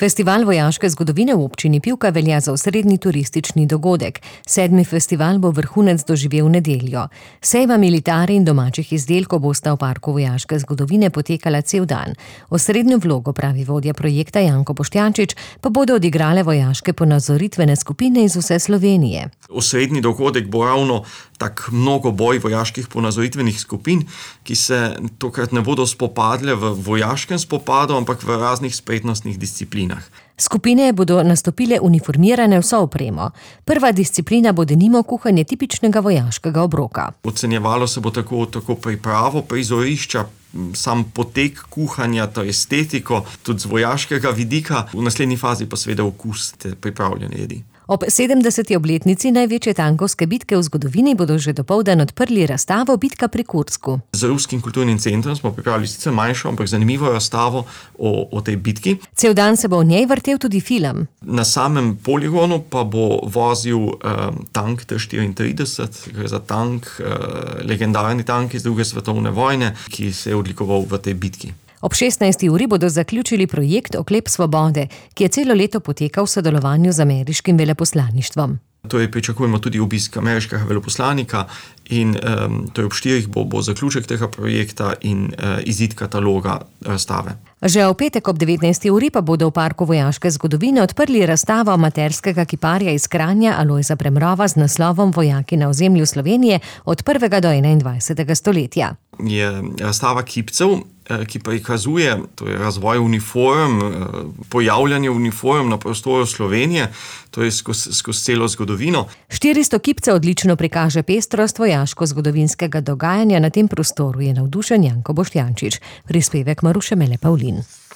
Festival vojaške zgodovine v občini Pivka velja za osrednji turistični dogodek. 7. festival bo vrhunec doživel v nedeljo. Sejma militari in domačih izdelkov bosta v parku vojaške zgodovine potekala cel dan. Osrednjo vlogo, pravi vodja projekta Janko Boštjančič, pa bodo odigrale vojaške ponazoritvene skupine iz vse Slovenije. Osrednji dogodek bo ravno tak mnogoboj vojaških ponazoritvenih skupin, ki se tokrat ne bodo spopadle v vojaškem spopadu, ampak v raznih spretnostnih disciplinah. Skupine bodo nastopile uniformirane vso opremo. Prva disciplina bo denimo kuhanje tipičnega vojaškega obroka. Ocenjevalo se bo tako pripravo prizorišča, sam potek kuhanja, to estetiko, tudi z vojaškega vidika, v naslednji fazi pa seveda okus te pripravljene jedi. Ob 70. obletnici največje tankovske bitke v zgodovini bodo že dopoldan odprli razstavo Bitka pri Kursku. Z Ruskim kulturnim centrom smo pripravili sicer manjšo, ampak zanimivo razstavo o tej bitki. Cel dan se bo v njej vrtel tudi film. Na samem poligonu pa bo vozil tank T-34, gre za tank, legendarni tank iz druge svetovne vojne, ki se je odlikoval v tej bitki. Ob 16. uri bodo zaključili projekt Oklep svobode, ki je celo leto potekal v sodelovanju z ameriškim veleposlaništvom. Torej pričakujemo tudi obisk ameriškega veleposlanika in torej ob 4. bo zaključek tega projekta in izid kataloga razstave. Že v petek ob 19. uri pa bodo v parku vojaške zgodovine odprli razstavo amaterskega kiparja iz Kranja Alojza Premrova z naslovom Vojaki na ozemlju Slovenije od 1. do 21. stoletja. Je razstava kipcev, ki prikazuje razvoj uniform, pojavljanje uniform na prostoru Slovenije, to je skozi celo zgodovino. 400 kipcev odlično prikaže pestrost vojaško-zgodovinskega dogajanja na tem prostoru, je navdušen Janko Boštjančič. Prispevek Maruše Mele Pavlin.